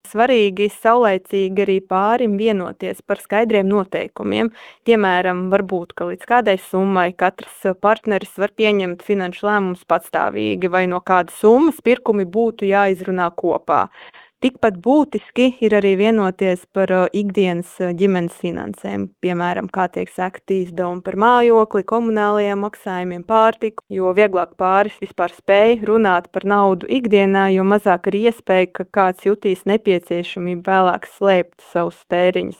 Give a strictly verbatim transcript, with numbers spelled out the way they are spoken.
svarīgi saulaicīgi arī pārim vienoties par skaidriem noteikumiem. Piemēram, varbūt, ka līdz kādai summai katrs partneris var pieņemt finanšu lēmumus patstāvīgi, vai no kādas summas pirkumi būtu jāizrunā kopā. Tikpat būtiski ir arī vienoties par ikdienas ģimenes finansēm, piemēram, kā tiek sekti izdevumi par mājokli, komunālajiem maksājumiem, pārtiku, jo vieglāk pāris vispār spēj runāt par naudu ikdienā, jo mazāk ir iespēja, ka kāds jutīs nepieciešamību vēlāk slēpt savus tēriņus.